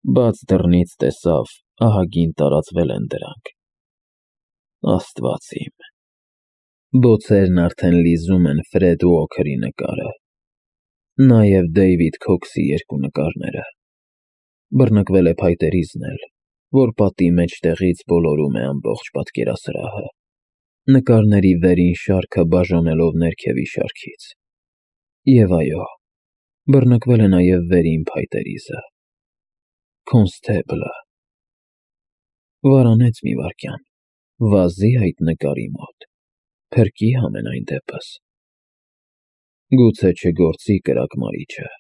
Բաց դռնից տեսավ, ահագին տարածվել են դրանք։ Աստված իմ։ Բոցերն արդեն լիզում են Ֆրեդ Ուոքերի նկարը, նաև Դեյվիդ Քոքսի երկու նկարները։ Բռնկվել է փայտերիզն էլ, որ պատի մեջտեղից բոլորում է ամբողջ պատկերասրահը, նկարների վերին շարքը բաժանելով ներքևի շարքից։ Եվ այո, բռնկվել է նաև վերին փայտերիզը։ Քոնստեբլը։ Վարանեց մի վայրկյան, վազի այդ նկարի մոտ, փրկի համենայն դեպս։ Գուցե չգործի կրակմարիչը։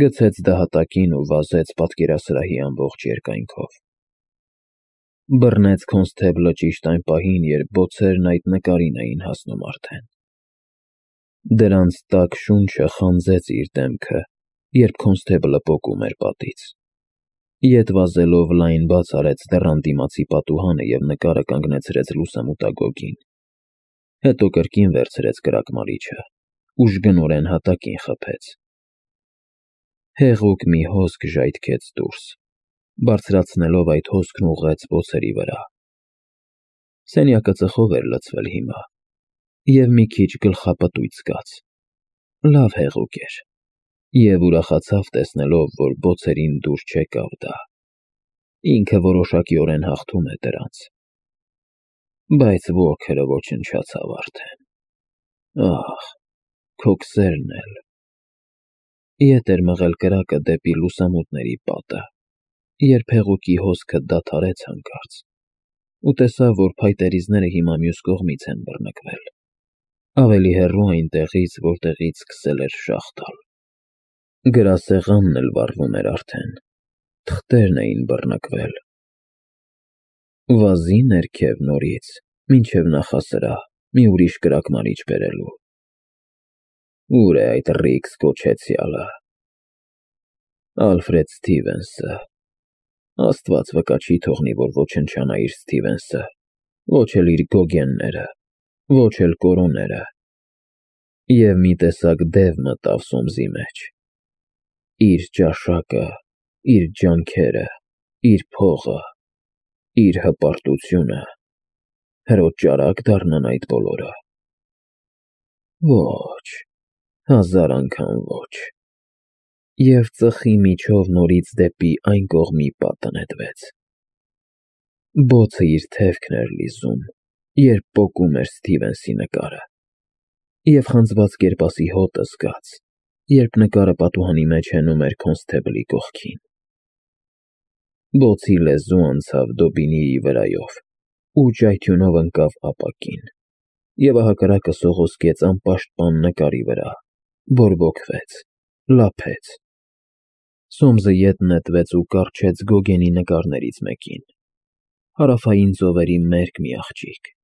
Գցեց դահատակին ու վազեց պատկերասրահի ամբողջ երկայնքով։ Բռնեց քոնստեբլը ճիշտ այն պահին, երբ բոցերն այդ նկարին էին հասնում արդեն։ Դրանց տաք շունչը խանձեց իր դեմքը, երբ քոնստեբլը պոկում էր պատից։ Ետ վազելով լայն բաց արեց դռան դիմացի պատուհանը և նկարը կանգնեցրեց լուսամուտագոգին։ Հետո կրկին վերցրեց կրակմարիչը, ուժգնորեն հատակին խփեց։ Հեղուկ մի հոսք ժայթքեց դուրս, բարձրացնելով այդ հոսքն ուղղեց բոցերի վրա։ Սենյակը ծխով էր լցվել հիմա, և մի քիչ գլխապտույտ զգաց։ Լավ հեղուկ էր, և ուրախացավ տեսնելով, որ բոցերին դուր չեկավ դա։ Ինքը որոշակիորեն հաղթում է դրանց։ Բայց Ուոքերը ոչնչացավ արդեն։ Ահ, Քոքսերն էլ։ Ետ էր մղել կրակը դեպի լուսամուտների պատը, երբ հեղուկի հոսքը դադարեց հանկարծ, ու տեսավ, որ փայտերիզները հիմա մյուս կողմից են բռնկվել, ավելի հեռու այնտեղից, որտեղից սկսել էր շաղ տալ։ Գրասեղանն էլ վառվում էր արդեն, թղթերն էին բռնկվել։ Վազի ներքև նորից, մինչև նախասրահ, մի ուրիշ կրակմարիչ բերելու։ Ուր է այդ Ռիքս կոչեցյալը։ Ալֆրեդ Սթիվենսը։ Աստված վկա չի թողնի, որ ոչնչանա իր Սթիվենսը, ոչ էլ իր Գոգենները, ոչ էլ Կորոները։ Եվ մի տեսակ դև մտավ Սոմսի մեջ։ Իր ճաշակը, իր ջանքերը, իր փողը, իր հպարտությունը, հրոտ ճարակ դառնան այդ բոլորը։ Ոչ, հազար անգամ ոչ։ Եվ ծխի միջով նորից դեպի այն կողմի պատը նետվեց։ Բոցը իր թևքն էր լիզում, երբ պոկում էր Սթիվենսի նկարը, և խանձված կերպասի հոտը զգաց, երբ նկարը պատուհանի մեջ հենում էր քոնստեբլի կողքին։ Բոցի լեզու անցավ Դոբինիի վրայով ու ճայթյունով ընկավ ապակին, և ահակառակը սողոսկեց անպաշտպան նկարի վրա, բորբոքվեց, լափեց։ Սոմսը ետ նետվեց ու կառչեց Գոգենի նկարներից մեկին, հարավային ծովերի մերկ մի աղջիկ։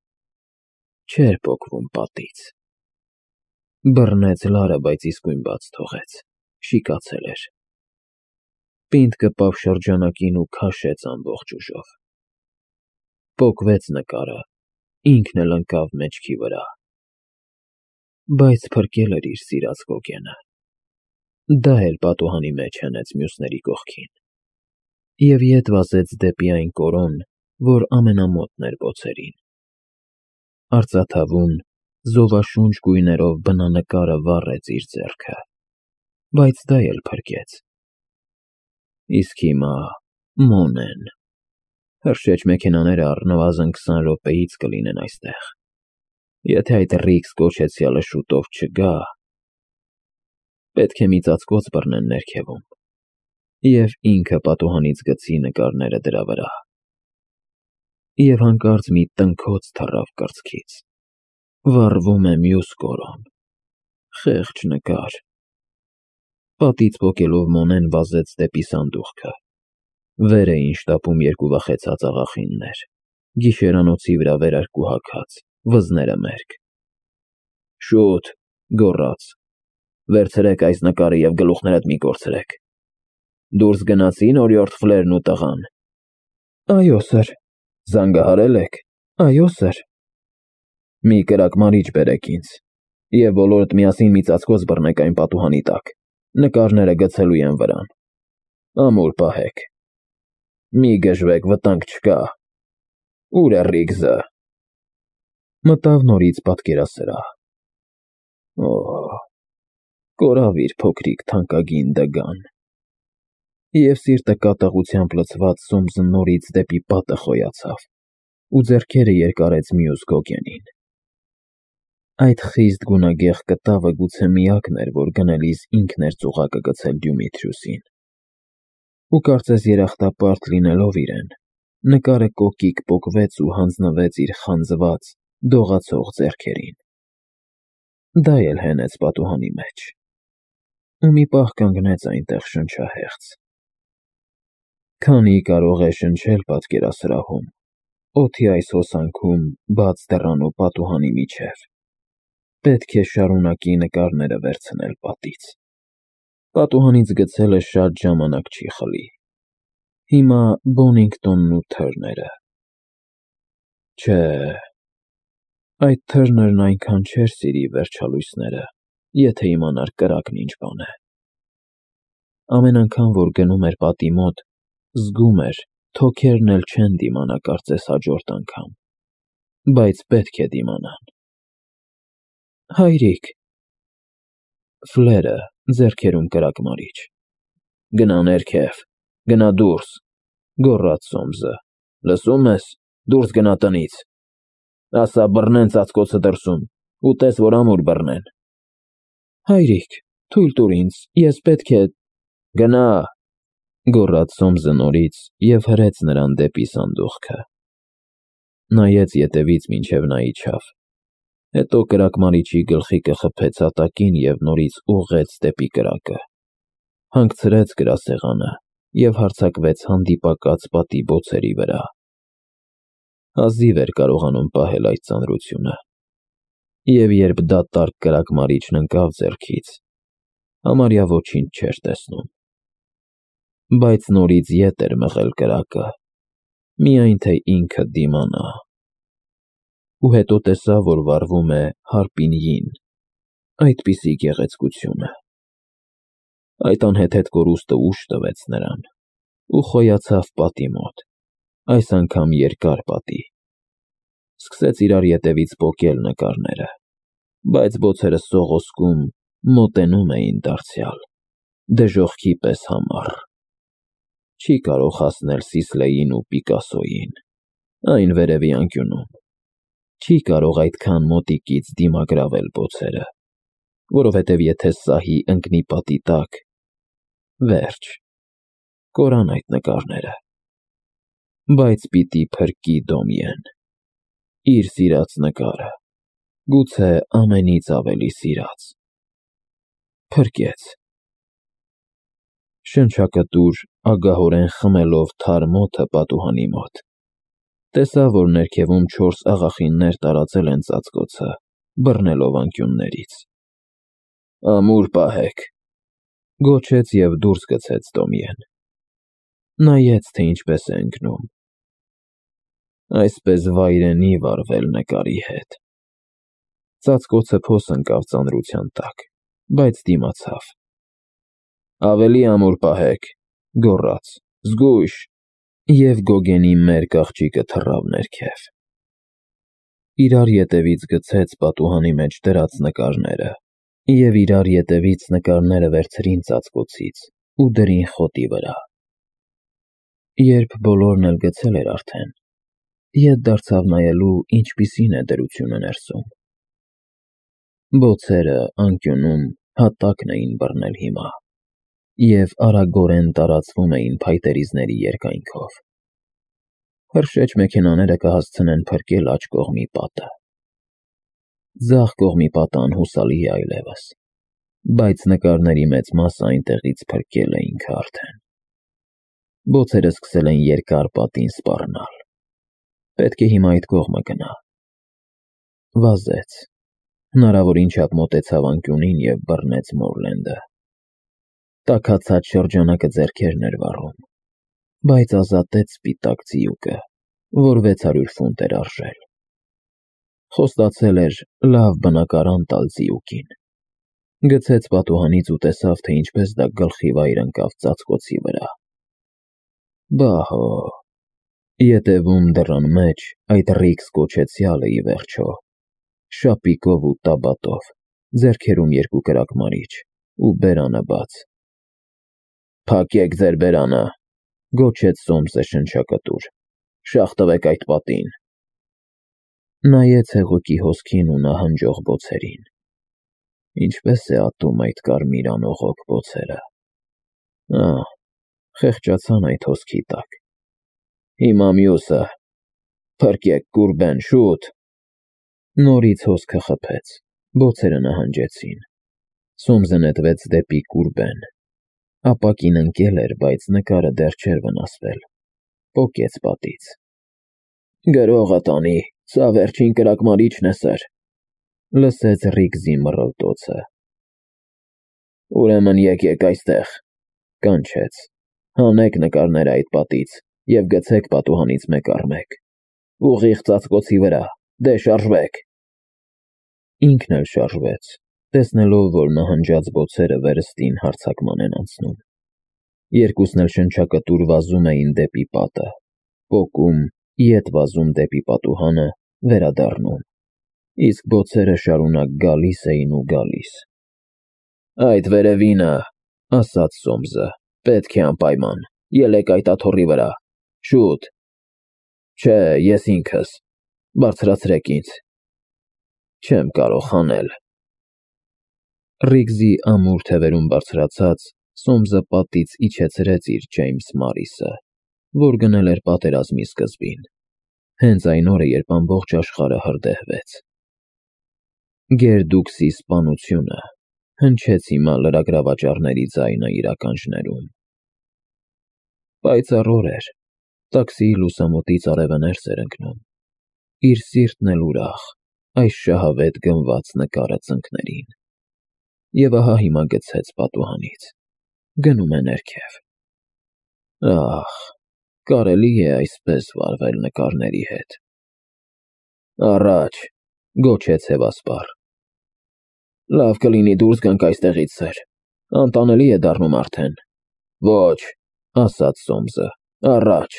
Չէր պոկվում պատից։ Բռնեց լարը, բայց իսկույն բաց թողեց, շիկացել էր։ Պինդ կպավ շրջանակին ու քաշեց ամբողջ ուժով։ Պոկվեց նկարը, ինքն էլ ընկավ մեջքի վրա։ Բայց փրկել էր իր սիրած Գոգենը։ Դա էլ պատուհանի մեջ հենեց մյուսների կողքին, և ետ վազեց դեպի այն կորոն, որ ամենամոտն էր բոցերին։ Արծաթավուն, զովաշունչ գույներով բնանկարը վառեց իր ձեռքը, բայց դա էլ փրկեց։ Իսկ հիմա Մոնեն։ Հրշեջ մեքենաները առնվազն 20 րոպեից կլինեն այստեղ։ Եթե այդ Ռիքս կոչեցյալը շուտով չգա, պետք է մի ծածկոց բռնեն ներքևում, և ինքը պատուհանից գցի նկարները դրա վրա։ Եվ հանկարծ մի տնքոց թռավ կրծքից։ Վառվում է մյուս կորոն։ Խեղճ նկար։ Պատից պոկելով Մոնեն վազեց դեպի սանդուղքը։ Վեր էին շտապում երկու վախեցած աղախիններ, գիշերանոցի վրա վերարկուհաքած, վզները մերկ։ Շուտ, գոռաց, վերցրեք այս նկարը և գլուխներդ մի կորցրեք։ Դուրս գնացի՞ն օրիորդ Ֆլերն ու տղան։ Այո, սըր։ Զանգահարել եք։ Այո, սըր։ Մի կրակմարիչ բերեք ինձ, և բոլորդ միասին մի ծածկոց բռնեք այն պատուհանի տակ, նկարները գցելու եմ վրան։ Ամուր պահեք։ Մի գժվեք, վտանգ չկա։ Ուր է Ռիգզը։ Մտավ նորից պատկերասրահ։ Օ, կորավ իր փոքրիկ թանկագին դգան։ Եվ սիրտը կատաղությամբ լցված Սոմսը նորից դեպի պատը խոյացավ ու ձեռքերը երկարեց մյուս գոգենին։ Այդ խիստ գունագեղ կտավը գուցե միակն էր, որ գնելիս ինքն էր ծուղակը գցել Դյումիթրիսին։ Ու կարծես երախտապարտ լինելով իրեն, նկարը կոկիկ պոկվեց ու հանձնվեց իր խանձված, դողացող ձեռքերին։ Դա էլ հենեց պատուհանի մեջ։ Ու մի պահ կանգնեց այնտեղ շնչահեղձ։ Քանի կարող է շնչել պատկերասրահում, օդի այս հոսանքում, բաց դռան ու պատուհանի միջև, պետք է շարունակի նկարները վերցնել պատից։ Պատուհանից գցելը շատ ժամանակ չի խլի։ Հիմա Բոնինգտոնն ու Թըրները։ Չէ, այդ Թըրներն այնքան չէր սիրի վերջալույսները, եթե իմանար կրակն ինչ բան է։ Ամեն անգամ, որ գնում էր պատի մոտ, զգում էր, թոքերն էլ չեն դիմանա կարծես հաջորդ անգամ, բայց պետք է դիմանան։ Հայրիկ։ Ֆլերը ձեռքերում կրակմարիչ։ Գնա ներքև, գնա դուրս, գոռաց Սոմսը։ Լսում ես, դուրս գնա տնից։ Ասա բռնեն ծածկոցը դրսում, ու տես, որ ամուր բռնեն։ Հայրիկ, թույլ տուր ինձ, ես պետք է… Գնա, գոռաց Սոմսը նորից և հրեց նրան դեպի սանդուղքը։ Նայեց ետևից մինչև նա իջավ, հետո կրակմարիչի գլխիկը խփեց հատակին և նորից ուղղեց դեպի կրակը, հանգցրեց գրասեղանը և հարձակվեց հանդիպակաց պատի բոցերի վրա։ Հազիվ էր կարողանում պահել այդ ծանրությունը, և երբ դատարկ կրակմարիչն ընկավ ձեռքից, համարյա ոչինչ չէր տեսնում։ Բայց նորից ետ էր մղել կրակը, միայն թե ինքը դիմանա։ Ու հետո տեսավ, որ վառվում է Հարպինիին, այդպիսի գեղեցկությունը։ Այդ անհեթեթ կորուստը ուժ տվեց նրան, ու խոյացավ պատի մոտ, այս անգամ երկար պատի։ Սկսեց իրար ետևից պոկել նկարները, բայց բոցերը սողոսկում, մոտենում էին դարձյալ, դժոխքի պես համառ։ Չի կարող հասնել Սիսլեին ու Պիկասոյին, այն վերևի անկյունում։ Չի կարող այդքան մոտիկից դիմագրավել բոցերը, որովհետև եթե սահի ընկնի պատի տակ, վերջ, կորան այդ նկարները։ Բայց պիտի փրկի Դոմիեն, իր սիրած նկարը, գուցե ամենից ավելի սիրած։ Փրկեց։ Շնչակտուր ագահորեն խմելով թարմ օդը պատուհանի մոտ, տեսավ, որ ներքևում 4 աղախիններ տարածել են ծածկոցը, բռնելով անկյուններից։ Ամուր պահեք, գոչեց և դուրս գցեց Դոմիեն։ Նայեց, թե ինչպես է ընկնում։ Այսպես վայրենի վարվել նկարի հետ։ Ծածկոցը փոս ընկավ ծանրության տակ, բայց դիմացավ։ Ավելի ամուր պահեք, գոռաց, զգույշ, և գոգենի մերկ աղջիկը թռավ ներքև։ Իրար ետևից գցեց պատուհանի մեջ դրած նկարները, և իրար ետևից նկարները վերցրին ծածկոցից ու դրին խոտի վրա։ Երբ բոլորն էլ գցել էր արդեն, ետ դարձավ նայելու, ինչպիսին է դրությունը ներսում։ Բոցերը անկյունում հատակն էին բռնել հիմա և արագորեն տարածվում էին փայտերիզների երկայնքով։ Հրշեջ մեքենաները կհասցնեն փրկել աջ կողմի պատը։ Ձախ կողմի պատը անհուսալի է այլևս, բայց նկարների մեծ մասը այնտեղից փրկել է ինքը արդեն։ Բոցերը սկսել են երկար պատին սպառնալ։ Պետք է հիմա այդ կողմը գնա։ Վազեց, հնարավորին չափ մոտեցավ անկյունին և բռնեց Մորլենդը։ Տաքացած շրջանակը ձեռքերն էր վառում, բայց ազատեց սպիտակ ձիուկը, որ 600 ֆունտ էր արժել։ Խոստացել էր լավ բնակարան տալ ձիուկին։ Գցեց պատուհանից ու տեսավ, թե ինչպես դա գլխի վայր ընկավ ծածկոցի վրա։ Բահո։ Ետևում դռան մեջ այդ Ռիքս կոչեցյալը ի վերջո, շապիկով ու տաբատով, ձեռքերում երկու կրակմարիչ ու բերանը բաց։ Փակեք ձեր բերանը, գոչեց Սոմսը շնչակտուր, շաղ տվեք այդ պատին։ Նայեց հեղուկի հոսքին ու նահանջող բոցերին։ Ինչպես է ատում այդ կարմիր անողոք բոցերը։ Խեղճացան այդ հոսքի տակ։ Հիմա մյուսը, փրկեք կուրբեն, շուտ։ Նորից հոսքը խփեց, բոցերը նահանջեցին։ Սոմսը նետվեց դեպի կուրբեն։ Ապակին ընկել էր, բայց նկարը դեռ չէր վնասվել։ Պոկեց պատից։ Գրողը տանի, սա վերջին կրակմարիչն է, սըր, լսեց Ռիգզի մռլտոցը։ Ուրեմն եկեք այստեղ, կանչեց, հանեք նկարները այդ պատից և գցեք պատուհանից մեկ առ մեկ, ուղիղ ծածկոցի վրա, դե շարժվեք։ Ինքն էլ շարժվեց, տեսնելով, որ նահանջած բոցերը վերստին հարձակման են անցնում։ Երկուսն էլ շնչակտուր վազում էին դեպի պատը, պոկում, ետ վազում դեպի պատուհանը, վերադառնում, իսկ բոցերը շարունակ գալիս էին ու գալիս։ Այդ վերևինը, ասաց Սոմսը, պետք է անպայման, ելեք այդ աթոռի վրա, շուտ։ Չէ, ես ինքս, բարձրացրեք ինձ։ Չեմ կարող հանել։ Ռիգզի ամուր թևերում բարձրացած, Սոմսը պատից իջեցրեց իր Ջեյմս Մարիսը, որ գնել էր պատերազմի սկզբին, հենց այն օրը, երբ ամբողջ աշխարհը հրդեհվեց։ Գերդուկսի սպանությունը հնչեց հիմա լրագրավաճառների ձայնը իր ականջներում։ Պայծառ օր էր, տաքսիի լուսամուտից արևը ներս էր ընկնում, իր սիրտն էլ ուրախ, այս շահավետ գնված նկարը ծնկներին։ Եվ ահա հիմա գցեց պատուհանից, գնում է ներքև։ Կարելի է այսպես վարվել նկարների հետ։ Առաջ, գոչեց հևասպառ։ Լավ կլինի դուրս գանք այստեղից, սըր, անտանելի է դառնում արդեն։ Ոչ, ասաց Սոմսը, առաջ։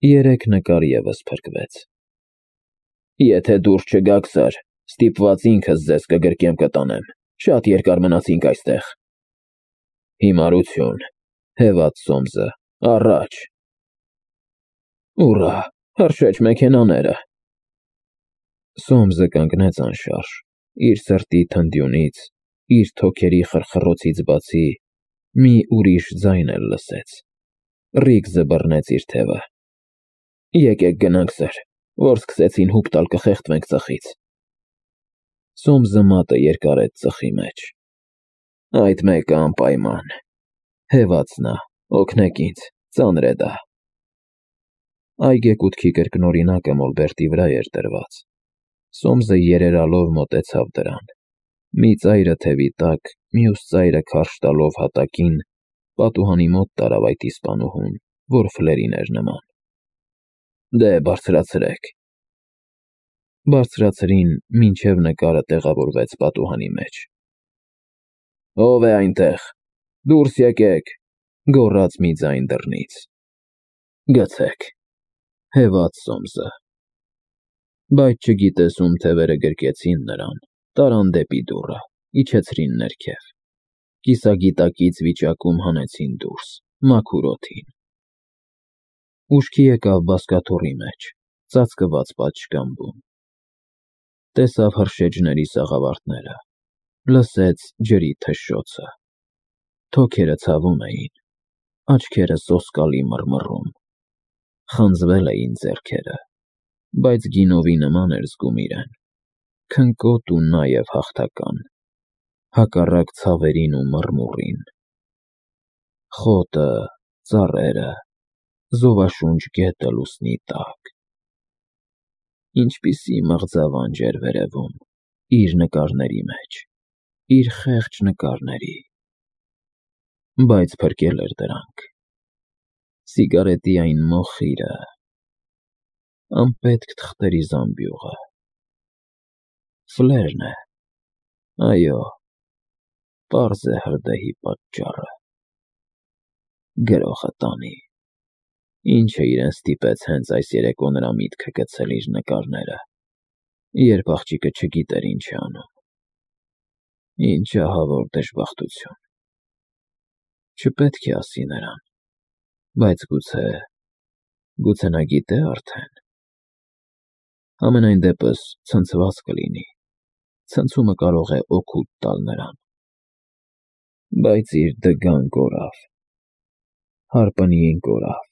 Երեք նկար ևս փրկվեց։ Եթե դուրս չգաք, սըր, ստիպված ինքս ձեզ կգրկեմ կտանեմ, շատ երկար մնացինք այստեղ։ Հիմարություն, հևաց Սոմսը, առաջ։ Ուռա, հրշեջ մեքենաները։ Սոմսը կանգնեց անշարժ, իր սրտի թնդյունից, իր թոքերի խրխռոցից բացի, մի ուրիշ ձայն էլ լսեց։ Ռիգզը բռնեց իր թևը։ Եկեք գնանք, սըր, որ սկսեցին հուպ տալ կխեղդվենք ծխից։ Սոմսը մատը երկարեց ծխի մեջ։ Այդ մեկը անպայման, հևաց նա, օգնեք ինձ, ծանր է դա։ Այգեկութքի կրկնօրինակը մոլբերտի վրա էր դրված։ Սոմսը երերալով մոտեցավ դրան։ Մի ծայրը թևի տակ, մյուս ծայրը քարշ տալով հատակին, պատուհանի մոտ տարավ այդ իսպանուհուն, որ ֆլերին էր նման։ Դե բարձրացրեք։ Բարձրացրին, մինչև նկարը տեղավորվեց պատուհանի մեջ։ Ո՞վ է այնտեղ, դուրս եկեք, գոռաց մի ձայն դռնից։ Գցեք, հևաց Սոմսը։ Բայց չգիտես ում թևերը գրկեցին նրան, տարան դեպի դուռը, իջեցրին ներքև։ Կիսագիտակից վիճակում հանեցին դուրս, մաքուր օդին։ Ուշքի եկավ բազկաթոռի մեջ, ծածկված պատշգամբում։ Տեսավ հրշեջների սաղավարտները, լսեց ջրի թշշոցը։ Թոքերը ցավում էին, աչքերը սոսկալի մռմռում։ Խանձվել էին ձեռքերը, բայց գինովի նման էր զգում իրեն, քնկոտ ու նաև հաղթական, հակառակ ցավերին ու մռմուռին։ Խոտը, ծառերը, զովաշունչ գետը լուսնի տակ։ Ինչպիսի մղձավանջ էր վերևում, իր նկարների մեջ, իր խեղճ նկարների։ Բայց փրկել էր դրանք։ Սիգարետի այն մոխիրը, անպետք թղթերի զամբյուղը։ Ֆլերն է, այո, պարզ է հրդեհի պատճառը։ Գրողը տանի։ Ինչ է իրեն ստիպեց հենց այս երեկո նրա միտքը գցել իր նկարները, երբ աղջիկը չգիտեր ինչ է անում։ Ինչ ահավոր դժբախտություն։ Չպետք է ասի նրան, բայց գուցե նա գիտե արդեն։ Համենայն դեպս ցնցված կլինի, ցնցումը կարող է օգուտ տալ նրան։ Բայց իր դգան կորավ, հարպնիին կորավ,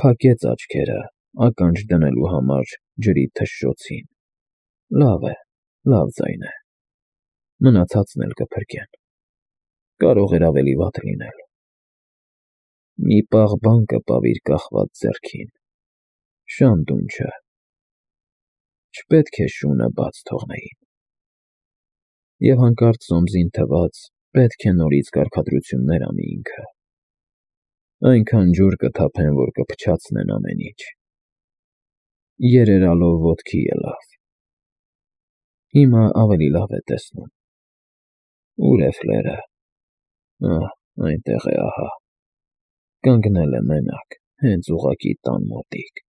փակեց աչքերը ականջ դնելու համար ջրի թշշոցին։ Լավ է, լավ ձայն է, մնացածն էլ կփրկեն, կարող էր ավելի վատ լինել։ Մի պաղ բան կպավ իր կախված ձեռքին, շանդունչը, չպետք է շունը բաց թողնեին։ Եվ հանկարծ Սոմսին թվաց, պետք է նորից կարգադրություններ անի ինքը։ Այնքան ջուր կթափեն, որ կփչացնեն ամեն ինչ։ Երերալով ոտքի ելավ։ Հիմա ավելի լավ է տեսնում։ Ուր է Ֆլերը։ Այնտեղ է, ահա։ Կանգնել է մենակ, հենց ուղղակի տան մոտիկ։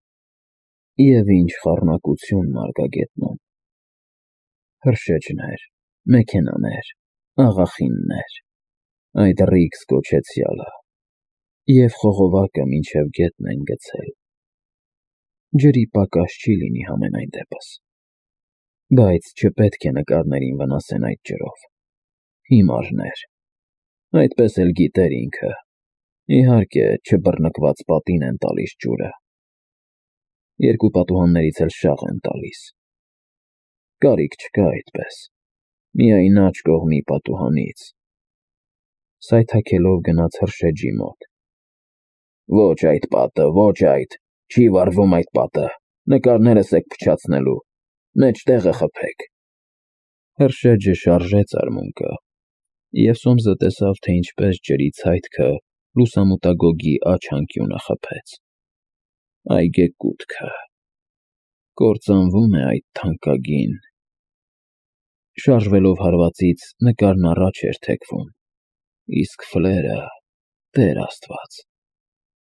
Եվ ինչ խառնակություն մարգագետնում։ Հրշեջներ, մեքենաներ, աղախիններ, այդ ռիքս կոչեցյալը, և խողովակը մինչև գետն են գցել։ Ջրի պակաս չի լինի համենայն դեպս։ Բայց չպետք է նկարներին վնասեն այդ ջրով։ Հիմարներ։ Այդպես էլ գիտեր ինքը։ Իհարկե, չբռնկված պատին են տալիս ջուրը։ Երկու պատուհաններից էլ շաղ են տալիս։ Կարիք չկա այդպես։ Միայն աջ կողմի պատուհանից։ Սայթաքելով գնաց հրշեջի մոտ։ Ոչ այդ պատը, ոչ այդ, չի վառվում այդ պատը, նկարներս եք փչացնելու, մեջտեղը խփեք։ Հրշեջը շարժեց արմունկը, և Սոմսը տեսավ, թե ինչպես ջրի ցայտքը լուսամուտագոգի աջ անկյունը խփեց։ Այգեկութքը։ Կործանվում է այդ թանկագին։ Շարժվելով հարվածից նկարն առաջ էր թեքվում, իսկ Ֆլերը, Տեր Աստված,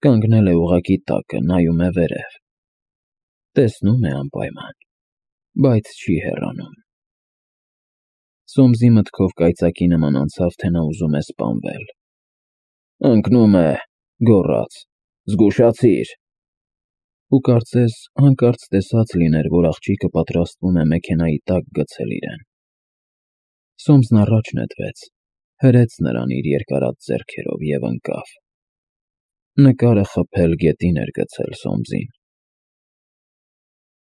կանգնել է ուղղակի տակը, նայում է վերև։ Տեսնում է անպայման, բայց չի հեռանում։ Սոմսի մտքով կայծակի նման անցավ, թե նա ուզում է սպանվել։ Ընկնում է, գոռաց, զգուշացիր։ Ու կարծես հանկարծ տեսած լիներ, որ աղջիկը պատրաստվում է մեքենայի տակ գցել իրեն։ Սոմսն առաջ նետվեց, հրեց նրան իր երկարած ձեռքերով և ընկավ։ Նկարը խփել գետին էր գցել Սոմսին։